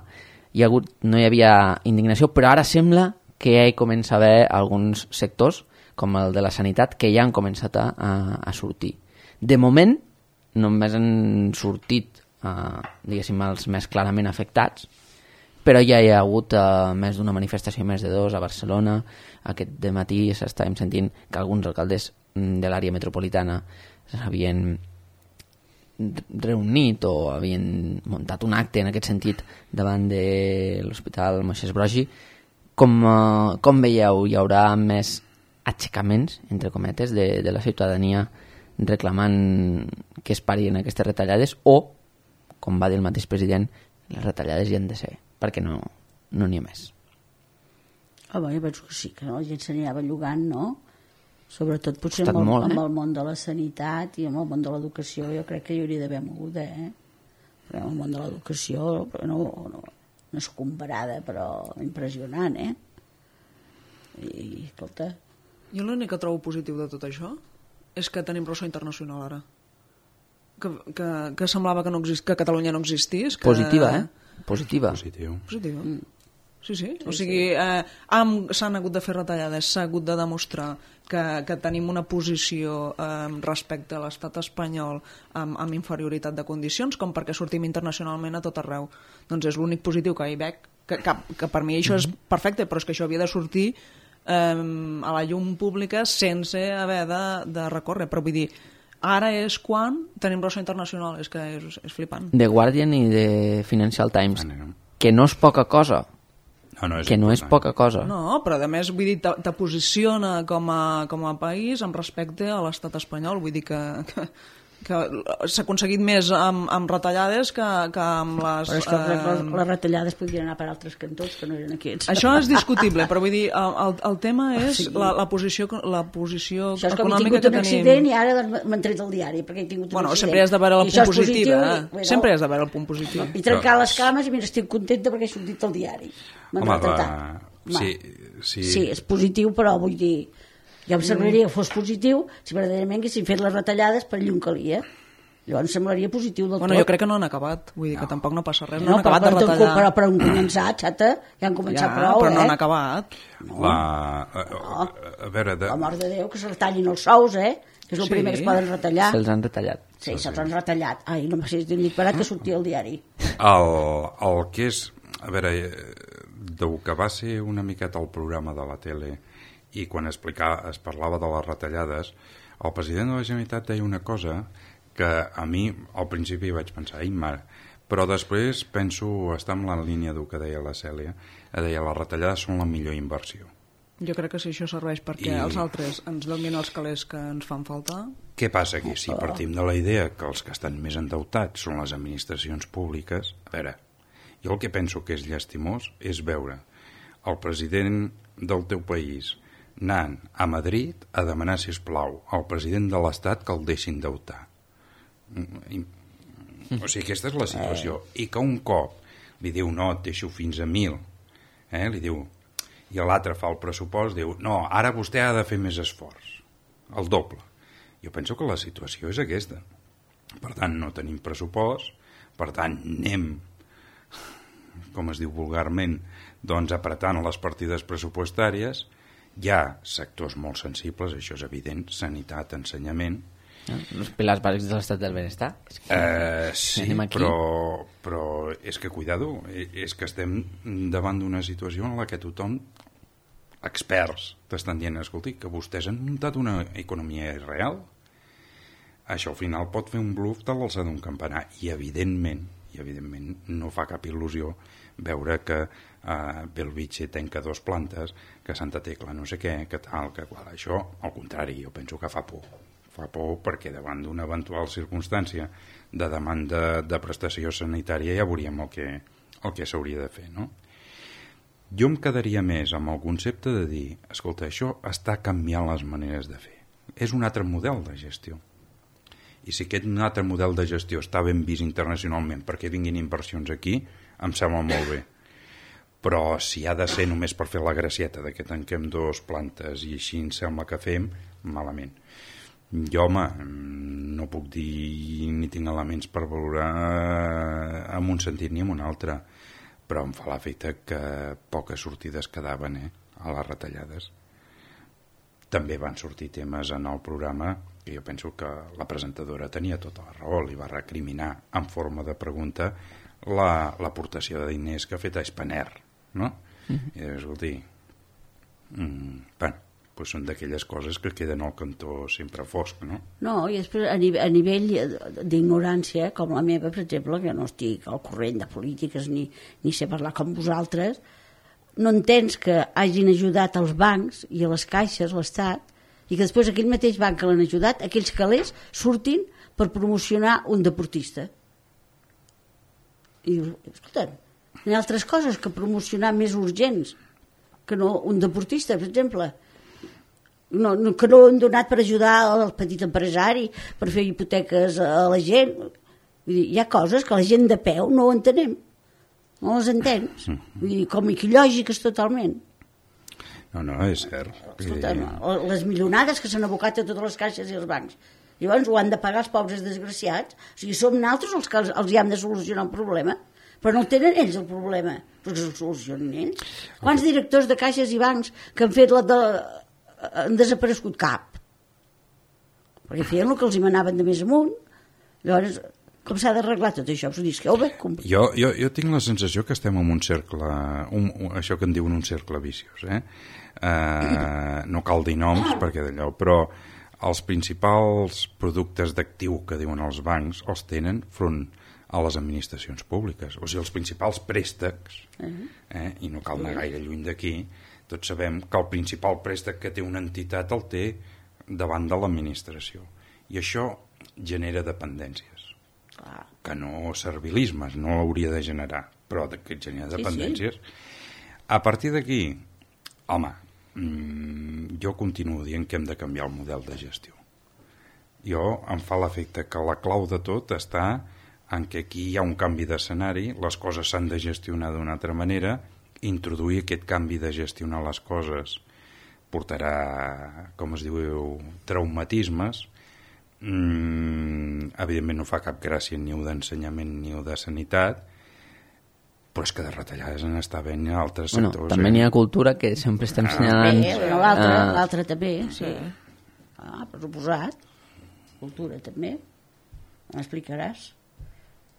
S1: No hi havia indignació, però ara sembla que ja hi comença a haver alguns sectors, com el de la sanitat, que ja han començat a sortir. De moment, només han sortit, diguéssim, els més clarament afectats, però ja hi ha hagut més d'una manifestació, més de 2 a Barcelona. Aquest dematí s'estàvem sentint que alguns alcaldes de l'àrea metropolitana s'havien reunit o havien muntat un acte en aquest sentit davant de l'Hospital Moisès Broggi. Com veieu, hi haurà més aixecaments, entre cometes, de la ciutadania reclamant que es parin aquestes retallades o, com va dir el mateix president, les retallades hi han de ser, perquè no n'hi ha més?
S2: Home, jo penso que sí, que la gent s'anirà bellugant, no? Sobretot potser amb el món de la sanitat i amb el món de l'educació, jo crec que hi hauria d'haver moguda, Perquè el món de l'educació no és comparada, però impressionant, I, escolta...
S3: Jo l'únic que trobo positiu de tot això és que tenim ressò internacional ara. Que semblava que Catalunya no existís.
S1: Positiva, Positiva.
S3: Positiva. Sí. O sigui, s'han hagut de fer retallades, s'ha hagut de demostrar que tenim una posició respecte a l'estat espanyol amb inferioritat de condicions, com perquè sortim internacionalment a tot arreu. Doncs és l'únic positiu que hi veig, que per mi això és perfecte, però és que això havia de sortir a la llum pública sense haver de recórrer. Però vull dir, ara és quan tenim ressò internacional, és que és flipant.
S1: The Guardian i The Financial Times, que no és poca cosa. No és poca cosa.
S3: No, però a més, vull dir, te posiciona com a país amb respecte a l'estat espanyol. Vull dir que s'ha aconseguit més amb retallades que amb les...
S2: Però és que les retallades podrien anar per altres cantons que no eren aquests.
S3: Això és discutible, però vull dir, el tema és la posició econòmica que tenim.
S2: Això és com he tingut un accident i ara m'han tret el diari perquè he tingut un accident.
S3: Sempre has de veure el punt positiu. Sempre has de veure el punt positiu.
S2: I trencar les cames i mira, estic contenta perquè he sortit al diari. Sí, és positiu, però vull dir... Ja em semblaria que fos positiu si verdaderament haguessin fet les retallades per llum calia. Llavors em semblaria positiu del tot.
S3: Jo crec que no han acabat, vull dir que tampoc no passa res. No han acabat de retallar.
S2: Però han començat, xata, ja han començat prou,
S3: però no han acabat.
S4: A veure...
S2: La mort de Déu, que se retallin els sous, que és el primer que es poden retallar.
S1: Se'ls han retallat.
S2: Sí, se'ls han retallat. Ai, no m'ha dit ni parat que sortia al diari.
S4: El que és... A veure, del que va ser una miqueta el programa de la tele i quan es parlava de les retallades, el president de la Generalitat deia una cosa que a mi al principi vaig pensar, ai mare, però després penso estar en la línia del que deia la Cèlia, deia les retallades són la millor inversió.
S3: Jo crec que si això serveix perquè els altres ens donin els calés que ens fan falta...
S4: Què passa aquí? Si partim de la idea que els que estan més endeutats són les administracions públiques, a veure, jo el que penso que és llastimós és veure el president del teu país anant a Madrid a demanar, sisplau, al president de l'Estat que el deixin endeutar. O sigui, aquesta és la situació. I que un cop li diu, no, et deixo fins a 1.000, li diu, i l'altre fa el pressupost, diu, no, ara vostè ha de fer més esforç, el doble. Jo penso que la situació és aquesta. Per tant, no tenim pressupost, per tant, anem, com es diu vulgarment, doncs apretant les partides pressupostàries. Hi ha sectors molt sensibles, això és evident, sanitat, ensenyament.
S1: Els pilars bàsics de l'estat del benestar.
S4: Sí, però és que, cuidado, és que estem davant d'una situació en la que tothom, experts, t'estan dient, escolti, que vostès han muntat una economia irreal. Això al final pot fer un bluff de l'alçada d'un campanar. I evidentment no fa cap il·lusió veure que Belvitge tanca 2 plantes, que Santa Tecla no sé què, que tal, que qual. Això, al contrari, jo penso que fa por. Fa por perquè davant d'una eventual circumstància de demanda de prestació sanitària ja veuríem el que s'hauria de fer, no? Jo em quedaria més amb el concepte de dir, escolta, això està canviant les maneres de fer. És un altre model de gestió. I si aquest altre model de gestió està ben vist internacionalment perquè vinguin inversions aquí, em sembla molt bé. Però si ha de ser només per fer la gracieta de que tanquem 2 plantes i així em sembla que fem, malament. Jo, home, no puc dir ni tinc elements per valorar en un sentit ni en un altre, però em fa l'efecte que poques sortides quedaven a les retallades. També van sortir temes en el programa que jo penso que la presentadora tenia tota la raó, li va recriminar en forma de pregunta l'aportació de diners que ha fet a Spanair, no? I escolti, bueno, doncs són d'aquelles coses que queden al cantó sempre fosc, no?
S2: No, i després a nivell d'ignorància, com la meva, per exemple, que no estic al corrent de polítiques ni sé parlar com vosaltres, no entens que hagin ajudat als bancs i a les caixes, l'Estat, i que després aquell mateix banc que l'han ajudat, aquells calés surtin per promocionar un deportista. I dius, escolta, hi ha altres coses que promocionar més urgents que no un deportista, per exemple. Que no han donat per ajudar al petit empresari, per fer hipoteques a la gent. Vull dir, hi ha coses que la gent de peu no ho entenem. No les entens? Vull dir, com lògiques totalment.
S4: No, és cert.
S2: Escolta, les milionades que s'han abocat a totes les caixes i els bancs. Llavors ho han de pagar els pobres desgraciats. O sigui, som nosaltres els que els hi hem de solucionar un problema. Però no el tenen ells, el problema. Però que el solucionin ells. Quants directors de caixes i bancs que han fet han desaparegut? Cap. Perquè feien el que els hi manaven de més amunt. Llavors, com s'ha d'arreglar tot això?
S4: Jo tinc la sensació que estem en un cercle, això que en diuen un cercle viciós. No cal dir noms perquè d'allò, però els principals productes d'actiu que diuen els bancs els tenen front a les administracions públiques. O sigui, els principals préstecs, i no cal anar gaire lluny d'aquí, tots sabem que el principal préstec que té una entitat el té davant de l'administració. I això genera dependències. Que no servilismes, no hauria de generar, però que genera dependències. A partir d'aquí, home, jo continuo dient que hem de canviar el model de gestió. Em fa l'efecte que la clau de tot està en que aquí hi ha un canvi d'escenari, les coses s'han de gestionar d'una altra manera, introduir aquest canvi de gestionar les coses portarà, com es diu, traumatismes. Evidentment no fa cap gràcia ni d'ensenyament ni de sanitat, però és que de retallades en està ben en altres sectors.
S1: També n'hi ha cultura que sempre estem assenyalant.
S2: L'altre també, sí. Per suposat. Cultura també. M'explicaràs.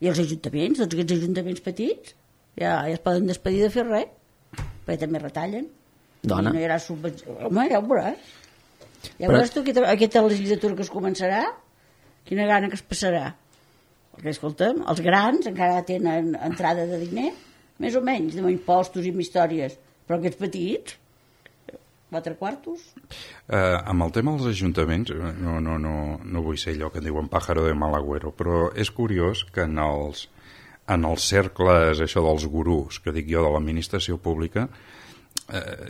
S2: I els ajuntaments, tots aquests ajuntaments petits, ja es poden despedir de fer res, perquè també retallen.
S1: Dona.
S2: No hi haurà subvenció. Home, ja ho veuràs. Ja veuràs tu aquesta legislatura que es començarà, quina gana que es passarà. Perquè, escolta'm, els grans encara tenen entrada de diner, més o menys, amb impostos i amb històries, però aquests petits, 4 quartos.
S4: Amb el tema dels ajuntaments, no vull ser allò que diuen pájaro de mal agüero, però és curiós que en els cercles, això dels gurús, que dic jo, de l'administració pública,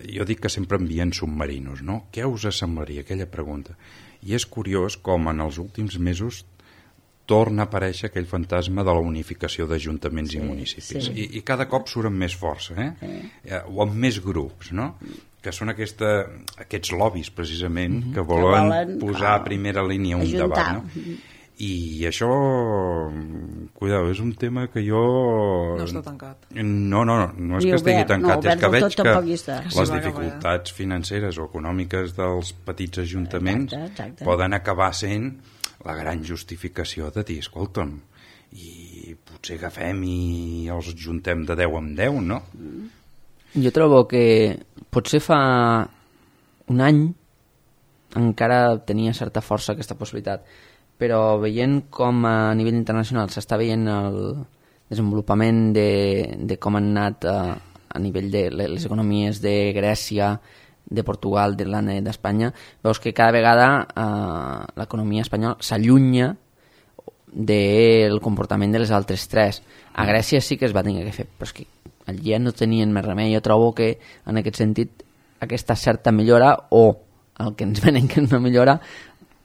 S4: jo dic que sempre envien submarinos, no? Què us semblaria aquella pregunta? I és curiós com en els últims mesos torna a aparèixer aquell fantasma de la unificació d'ajuntaments i municipis. I cada cop surt amb més força, o amb més grups, no? Que són aquests lobbies, precisament, que volen posar a primera línia un debat, no? I això, cuidado, és un tema que jo...
S3: No està tancat.
S4: No és que estigui tancat, és que veig que les dificultats financeres o econòmiques dels petits ajuntaments poden acabar sent la gran justificació de dir, escolta'm, i potser agafem i els juntem de 10 en 10, no?
S1: Jo trobo que potser fa un any encara tenia certa força aquesta possibilitat, però veient com a nivell internacional s'està veient el desenvolupament de com han anat a nivell de les economies de Grècia, de Portugal, d'Irlanda i d'Espanya, veus que cada vegada l'economia espanyola s'allunya del comportament de les altres tres. A Grècia sí que es va tenir que fer, però és que allí ja no tenien més remei. Jo trobo que en aquest sentit aquesta certa millora, o el que ens venen que és una millora,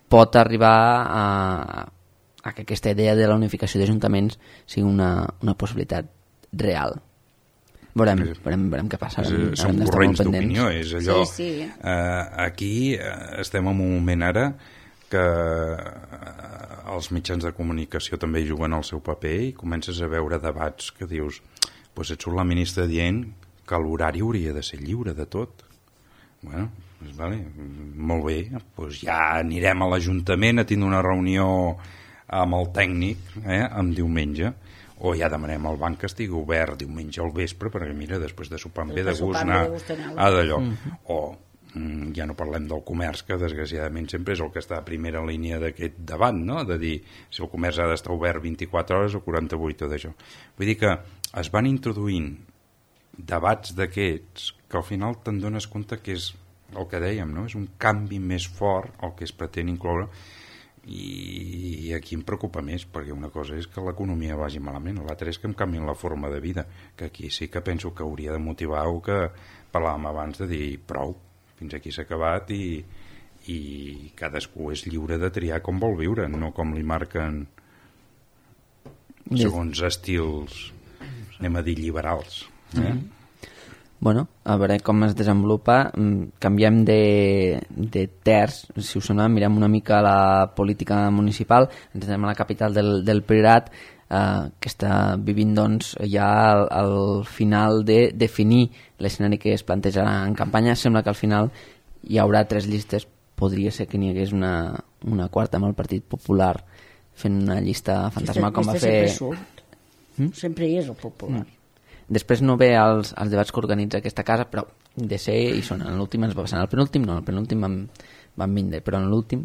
S1: pot arribar a que aquesta idea de la unificació d'ajuntaments sigui una possibilitat real. Veurem què passa.
S4: Són corrents d'opinió, és allò...
S2: Sí.
S4: Aquí estem en un moment ara que els mitjans de comunicació també juguen el seu paper i comences a veure debats que dius, doncs et surt la ministra dient que l'horari hauria de ser lliure de tot. Bueno, doncs vale, molt bé, doncs ja anirem a l'Ajuntament a tindre una reunió amb el tècnic en diumenge, o ja demanem al banc que estigui obert diumenge al vespre, perquè mira, després de sopar em ve de gust anar a d'allò. O ja no parlem del comerç, que desgraciadament sempre és el que està a primera línia d'aquest debat, no? De dir si el comerç ha d'estar obert 24 hores o 48 o d'això. Vull dir que es van introduint debats d'aquests que al final te'n dones compte que és el que dèiem, no? És un canvi més fort el que es pretén incloure, i aquí em preocupa més, perquè una cosa és que l'economia vagi malament, l'altra és que em canvien la forma de vida, que aquí sí que penso que hauria de motivar el que parlàvem abans, de dir prou, fins aquí s'ha acabat i cadascú és lliure de triar com vol viure, no com li marquen segons estils, anem a dir liberals.
S1: Bueno, a veure com es desenvolupa. Canviem de terç, si us sembla, mirem una mica la política municipal, ens anem a la capital del Priorat, que està vivint doncs, ja al final de definir l'escenari que es plantejarà en campanya. Sembla que al final hi haurà 3 llistes, podria ser que n'hi hagués una quarta amb el Partit Popular fent una llista fantasma com va fer...
S2: Sempre hi és el Popular.
S1: Després no ve als debats que organitza aquesta casa, però de ser hi són. En l'últim ens va passar. En el penúltim no, en el penúltim vam vindre, però en l'últim,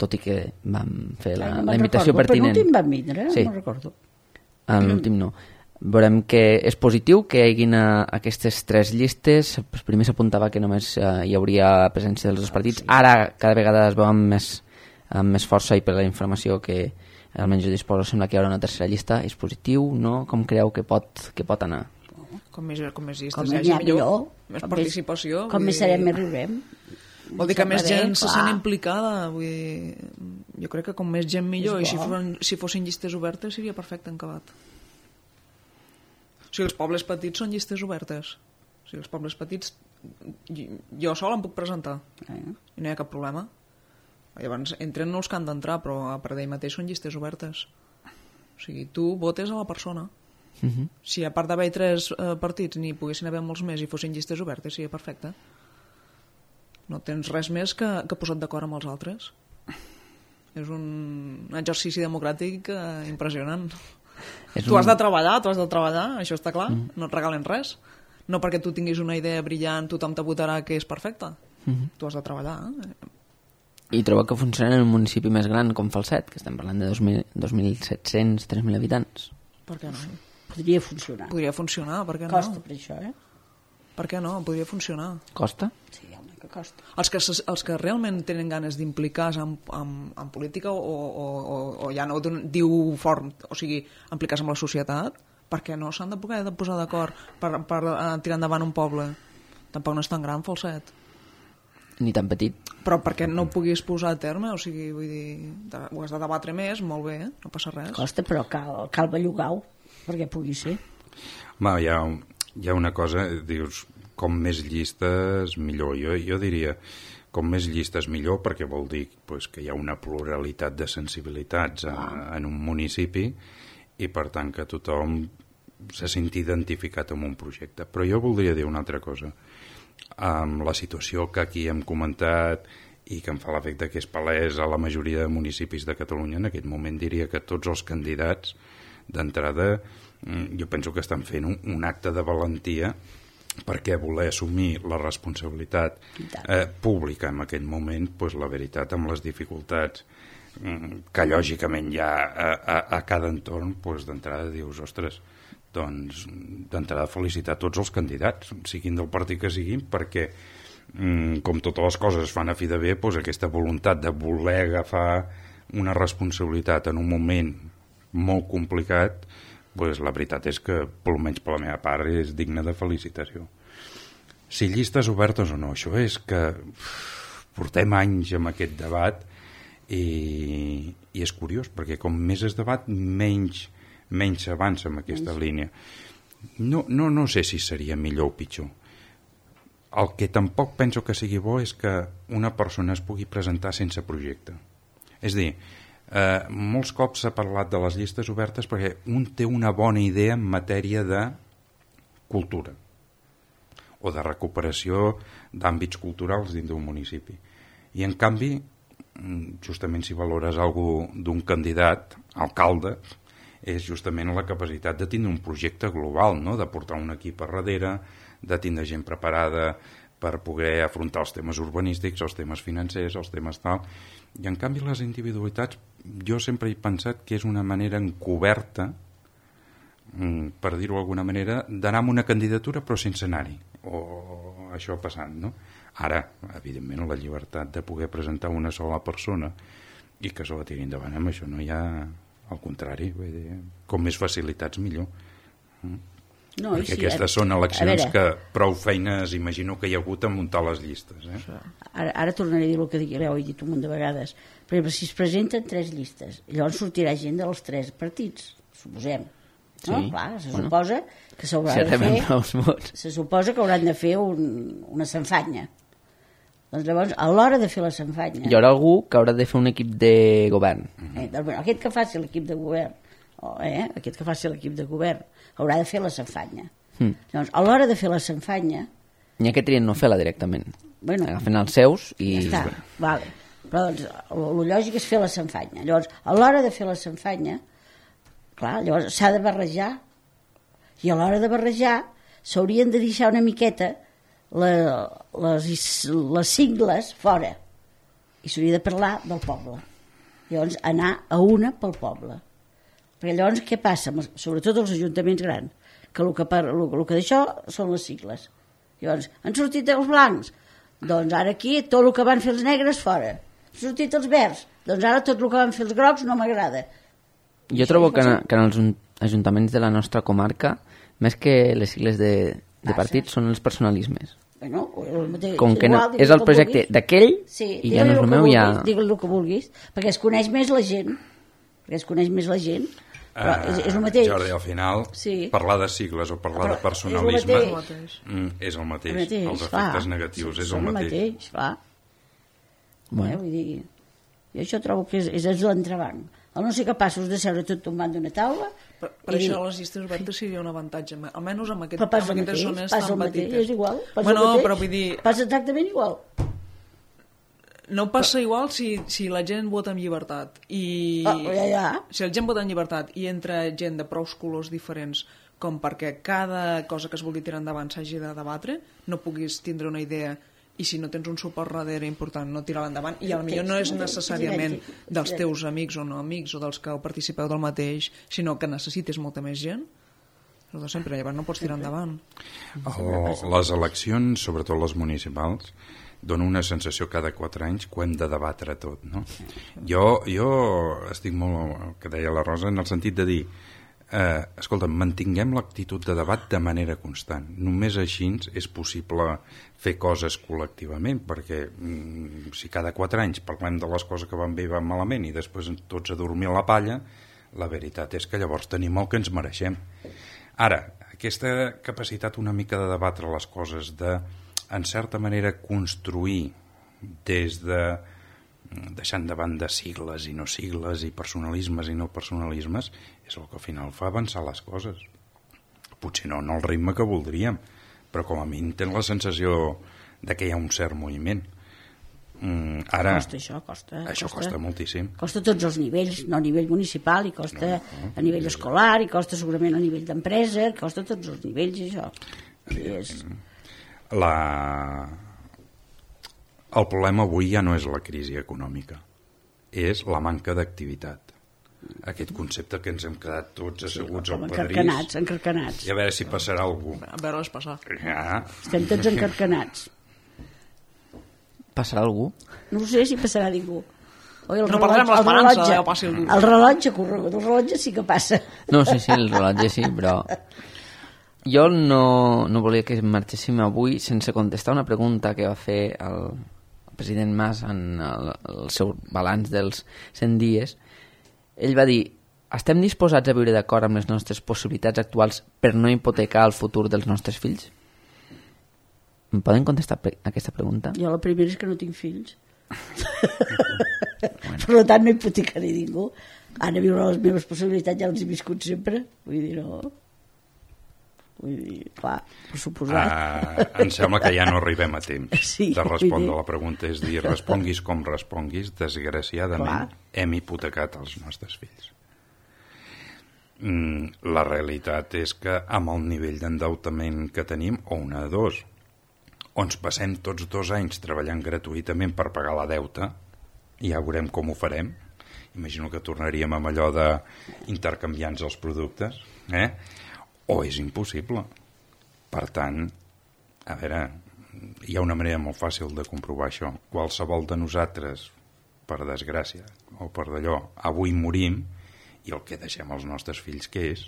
S1: tot i que vam fer la invitació pertinent.
S2: El penúltim vam vindre,
S1: sí.
S2: No recordo.
S1: En l'últim no. Veurem que és positiu que hi hagin aquestes 3 llistes. Primer s'apuntava que només hi hauria presència dels 2 partits. Ara cada vegada es veu amb més força, i per la informació que almenys jo disposo, sembla que hi haurà una tercera llista. És positiu, no? Com creu que pot anar?
S3: Com més llistes
S2: com
S3: hi hagi, millor. Més participació.
S2: Com més serem, més riurem.
S3: Vol dir que més gent se sent implicada. Vull dir, jo crec que com més gent millor, i si fossin llistes obertes seria perfecte en acabat. O sigui, els pobles petits són llistes obertes. O sigui, els pobles petits jo sol em puc presentar i no hi ha cap problema. Llavors entren els que han d'entrar, però a part d'ell mateix són llistes obertes. O sigui, tu votes a la persona. Si a part d'haver 3 partits n'hi poguessin haver molts més i fossin llistes obertes, seria perfecte. No tens res més que posat d'acord amb els altres. És un exercici democràtic impressionant. Tu has de treballar, això està clar. No et regalen res. No perquè tu tinguis una idea brillant, tothom te votarà que és perfecta. Tu has de treballar.
S1: I trobo que funciona en un municipi més gran com Falset, que estem parlant de 2.700, 3.000 habitants.
S3: Per què no?
S2: Podria funcionar.
S3: Podria funcionar, per què no?
S2: Costa per això,
S3: Per què no? Podria funcionar.
S1: Costa?
S2: Sí, home, que costa.
S3: Els que realment tenen ganes d'implicar-se en política o ja no diu fort, o sigui, implicar-se amb la societat, per què no s'han de poder posar d'acord per tirar endavant un poble? Tampoc no és tan gran, Falset.
S1: Ni tan petit.
S3: Però perquè no ho puguis posar a terme, o sigui, vull dir, ho has de debatre més, molt bé, no passa res.
S2: Costa, però cal bellugar-ho, perquè pugui ser.
S4: Home, hi ha una cosa, dius, com més llistes, millor. Jo diria, com més llistes millor, perquè vol dir pues, que hi ha una pluralitat de sensibilitats en un municipi i, per tant, que tothom se senti identificat amb un projecte. Però jo voldria dir una altra cosa. Amb la situació que aquí hem comentat i que em fa l'efecte que és palès a la majoria de municipis de Catalunya, en aquest moment diria que tots els candidats d'entrada jo penso que estan fent un acte de valentia perquè voler assumir la responsabilitat pública en aquest moment, pues, la veritat, amb les dificultats que lògicament hi ha a cada entorn, pues, d'entrada dius, ostres, doncs d'entrada felicitar tots els candidats, siguin del partit que siguin, perquè com totes les coses es fan a fi de bé, doncs aquesta voluntat de voler agafar una responsabilitat en un moment molt complicat, doncs la veritat és que, almenys per la meva part, és digna de felicitació. Si llistes obertes o no, això és que portem anys amb aquest debat i és curiós, perquè com més es debat, menys s'avança en aquesta línia. No sé si seria millor o pitjor. El que tampoc penso que sigui bo és que una persona es pugui presentar sense projecte. És a dir, molts cops s'ha parlat de les llistes obertes perquè un té una bona idea en matèria de cultura o de recuperació d'àmbits culturals dins d'un municipi. I en canvi, justament si valores alguna cosa d'un candidat, alcalde, és justament la capacitat de tindre un projecte global, no? De portar un equip a darrere, de tindre gent preparada per poder afrontar els temes urbanístics, els temes financers, els temes tal. I en canvi les individualitats, jo sempre he pensat que és una manera encoberta, per dir-ho d'alguna manera, d'anar amb una candidatura però sense anar-hi, o això passant, no? Ara, evidentment, la llibertat de poder presentar una sola persona i que se la tiri endavant, amb això no hi ha, al contrari, vull dir, com més facilitats millor.
S2: No,
S4: perquè aquestes són eleccions que prou feines imagino que hi ha hagut a muntar les llistes.
S2: Ara tornaré a dir el que ja ho he dit un munt de vegades. Per exemple, si es presenten 3 llistes, llavors sortirà gent dels 3 partits, suposem. No?
S1: Sí.
S2: Clar, se suposa que s'haurà de fer, se suposa que hauran de fer una sanfanya. Doncs llavors, a l'hora de fer la sanfanya...
S1: Hi haurà algú que haurà de fer un equip de govern.
S2: Doncs, aquest que faci l'equip de govern, aquest que faci l'equip de govern, haurà de fer la sanfanya. Llavors, a l'hora de fer la sanfanya...
S1: N'hi ha que trien no fer-la directament. Agafen els seus i...
S2: Ja està, vale. Però doncs, el lògic és fer la sanfanya. Llavors, a l'hora de fer la sanfanya, clar, llavors s'ha de barrejar. I a l'hora de barrejar s'haurien de deixar una miqueta les sigles fora. I s'hauria de parlar del poble. Llavors, anar a una pel poble. Perquè llavors què passa? Sobretot els ajuntaments grans, que el que d'això són les sigles. Llavors, han sortit els blancs, doncs ara aquí tot el que van fer els negres fora. Han sortit els verds, doncs ara tot el que van fer els grocs no m'agrada.
S1: Jo trobo que en els ajuntaments de la nostra comarca, més que les sigles de partits, són els personalismes.
S2: Bueno,
S1: com que és el projecte d'aquell i ja no és el meu, ja...
S2: Digue-li el que vulguis, perquè es coneix més la gent. Però és el mateix.
S4: Jordi, al final, parlar de sigles o parlar de personalisme és el mateix. Els efectes negatius és el mateix.
S2: Vull dir, jo això trobo que és l'entrebanc. Al no ser capaços de seure tot tombant d'una taula...
S3: Per això les llistes obertes seria un avantatge, almenys amb aquestes zones tan petites.
S2: És igual, passa exactament igual.
S3: No passa igual si la gent vota amb llibertat si la gent vota amb llibertat i entra gent de prous colors diferents com perquè cada cosa que es vulgui tirar endavant s'hagi de debatre, no puguis tindre una idea i si no tens un suport darrere important no tirar-la endavant, i potser no és necessàriament dels teus amics o no amics o dels que participeu del mateix, sinó que necessites molta més gent, el de sempre, llavors no pots tirar endavant.
S4: Les eleccions, sobretot les municipals, dona una sensació cada 4 anys que hem de debatre tot, no? Jo estic molt, el que deia la Rosa, en el sentit de dir escolta, mantinguem l'actitud de debat de manera constant. Només així és possible fer coses col·lectivament, perquè si cada 4 anys parlem de les coses que van bé i van malament i després tots a dormir a la palla, la veritat és que llavors tenim el que ens mereixem. Ara, aquesta capacitat una mica de debatre les coses, de, en certa manera, construir des de deixant de banda sigles i no sigles i personalismes i no personalismes, és el que al final fa avançar les coses. Potser no al ritme que voldríem, però com a mínim tens la sensació de que hi ha un cert moviment. Ara, això costa moltíssim.
S2: Costa a tots els nivells, no a nivell municipal, i costa a nivell escolar, i costa segurament a nivell d'empresa, costa a tots els nivells, això.
S4: El problema avui ja no és la crisi econòmica, és la manca d'activitat. Aquest concepte que ens hem quedat tots asseguts al pedrís.
S2: Encarcanats.
S4: I a veure si passarà algú.
S3: A veure-les passar.
S4: Ja.
S2: Estem tots encarcanats.
S1: Passarà algú?
S2: No sé si passarà ningú.
S3: No perdrem l'esperança que passi algú.
S2: El rellotge sí que passa.
S1: No, sí, el rellotge sí, però... Jo no volia que marxéssim avui sense contestar una pregunta que va fer el president Mas en el seu balanç dels 100 dies, ell va dir: estem disposats a viure d'acord amb les nostres possibilitats actuals per no hipotecar el futur dels nostres fills? Em poden contestar aquesta pregunta?
S2: Jo la primera és que no tinc fills. Per tant no hipotecaré ningú. Ara viure les meves possibilitats ja les he viscut sempre. Vull dir, no... Vull dir, clar, per suposat.
S4: Em sembla que ja no arribem a temps
S2: Sí,
S4: de respondre
S2: vull dir.
S4: la pregunta. És dir, responguis com responguis, desgraciadament hem hipotecat els nostres fills. La realitat és que amb el nivell d'endeutament que tenim, o una de dos, o ens passem tots 2 anys treballant gratuïtament per pagar la deuta, i ja veurem com ho farem. Imagino que tornaríem amb allò d'intercanviar-nos els productes, o és impossible. Per tant, a veure, hi ha una manera molt fàcil de comprovar això. Qualsevol de nosaltres, per desgràcia, o per d'allò, avui morim, i el que deixem als nostres fills, què és?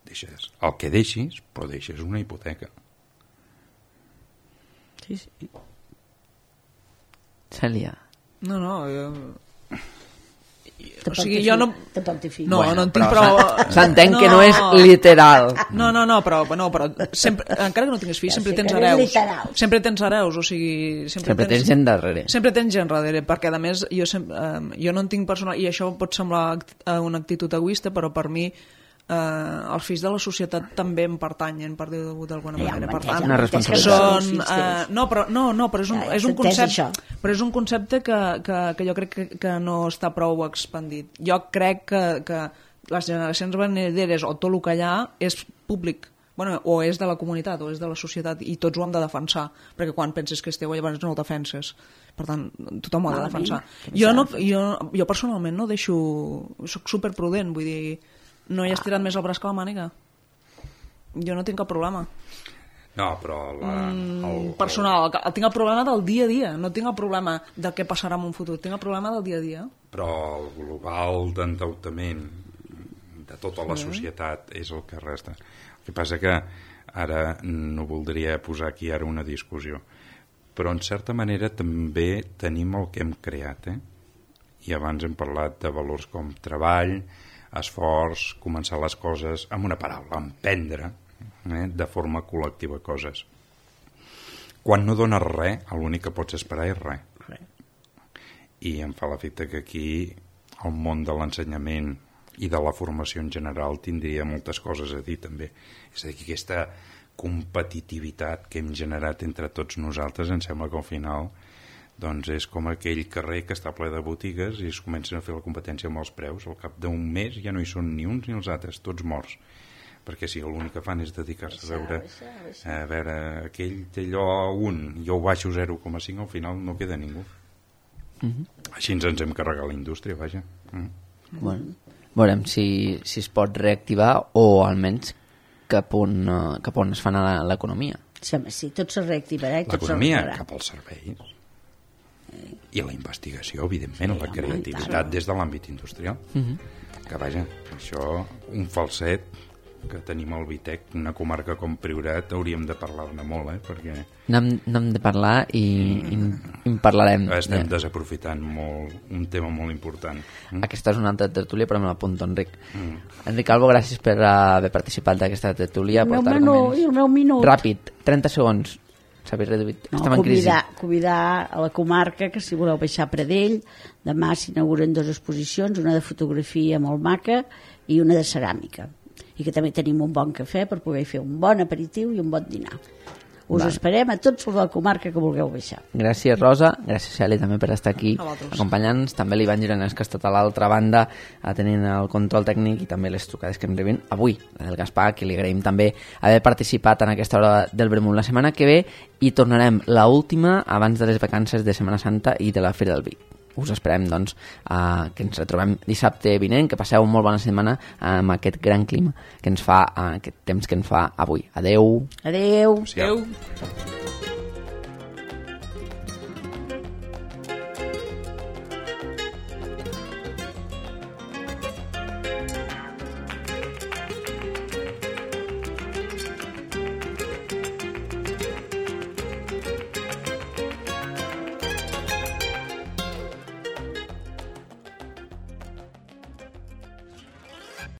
S4: Deixes el que deixis, però deixes una hipoteca.
S2: Sí, sí.
S1: Cèlia.
S3: No,
S2: O
S3: sigui, jo no...
S2: Tampoc té fills.
S3: No,
S1: Bueno,
S3: no en tinc
S1: però
S3: prou...
S1: s'entén que no és literal.
S3: No, però sempre, encara que no tinguis fills,
S2: Ja
S3: sempre
S2: sé
S3: tens
S2: que no és
S3: hereus.
S2: literal.
S3: Sempre tens hereus, o sigui...
S1: Sempre tens gent darrere.
S3: Sempre tens gent darrere, perquè a més jo no en tinc personal, i això pot semblar una actitud egoista, però per mi els fills de la societat també em pertanyen, per dir-ho d'alguna manera. Per tant,
S1: una responsabilitat.
S3: però és un concepte, però és un concepte que jo crec que no està prou expandit. Jo crec que les generacions venidores o tot el que hi ha és públic, o és de la comunitat o és de la societat, i tots ho hem de defensar, perquè quan penses que és teu llavors no el defenses. Per tant, tothom ho ha de defensar. Jo personalment no deixo... Soc superprudent, vull dir, no hi has tirat més el braç que la màniga. Jo no tinc cap problema.
S4: No, però...
S3: Personal, tinc el problema del dia a dia, no tinc el problema del què passarà en un futur, tinc el problema del dia a dia.
S4: Però el global d'endeutament de tota la societat és el que resta. El que passa que ara no voldria posar aquí ara una discussió, però en certa manera també tenim el que hem creat, I abans hem parlat de valors com treball, esforç, començar les coses, amb una paraula, emprendre, de forma col·lectiva coses. Quan no dones res, l'únic que pots esperar és res. I em fa l'efecte que aquí el món de l'ensenyament i de la formació en general tindria moltes coses a dir també. És a dir, que aquesta competitivitat que hem generat entre tots nosaltres, em sembla que al final doncs és com aquell carrer que està ple de botigues i es comencen a fer la competència amb els preus. Al cap d'un mes ja no hi són ni uns ni els altres, tots morts. Perquè si l'únic que fan és dedicar-se a veure aquell té allò a 1, jo ho baixo 0,5, al final no queda ningú. Així ens hem carregat la indústria, vaja.
S1: Bueno, veurem si es pot reactivar o almenys cap on es fa anar l'economia.
S2: Sí, tot se reactivarà i tot se
S4: L'economia
S2: reactivarà.
S4: cap als serveis i la investigació, evidentment, la creativitat des de l'àmbit industrial. Que vaja, això, un falset que tenim al Vitec, una comarca com Priorat, hauríem de parlar-ne molt, perquè
S1: N'hem de parlar i en parlarem.
S4: estem desaprofitant molt, un tema molt important.
S1: Aquesta és una altra tertúlia, però me l'apunto, Enric. Enric Albo, gràcies per haver participat d'aquesta tertúlia.
S2: El meu minut.
S1: Ràpid, 30 segons. S'havia reduït.
S2: No,
S1: Estem en crisi.
S2: convidar a la comarca que si voleu baixar a Pradell, demà s'inauguren 2 exposicions, una de fotografia molt maca i una de ceràmica, i que també tenim un bon cafè per poder fer un bon aperitiu i un bon dinar. Us esperem a tots els de la comarca que vulgueu baixar.
S1: Gràcies, Rosa. Gràcies, Cèlia, també per estar aquí
S3: A vosaltres.
S1: acompanyant-nos. També l'Ivan Gironès, que ha estat a l'altra banda atenent el control tècnic, i també les trucades que em rebin avui, la del Gaspar, que li agraïm també haver participat en aquesta hora del Vermut. La setmana que ve hi tornarem, l'última abans de les vacances de Setmana Santa i de la Fira del Vi. Us esperem, doncs, que ens retrobem dissabte vinent, que passeu una molt bona setmana amb aquest gran clima que ens fa, aquest temps que ens fa avui. Adeu.
S2: Adeu.
S4: Sí, ja.
S3: Adéu.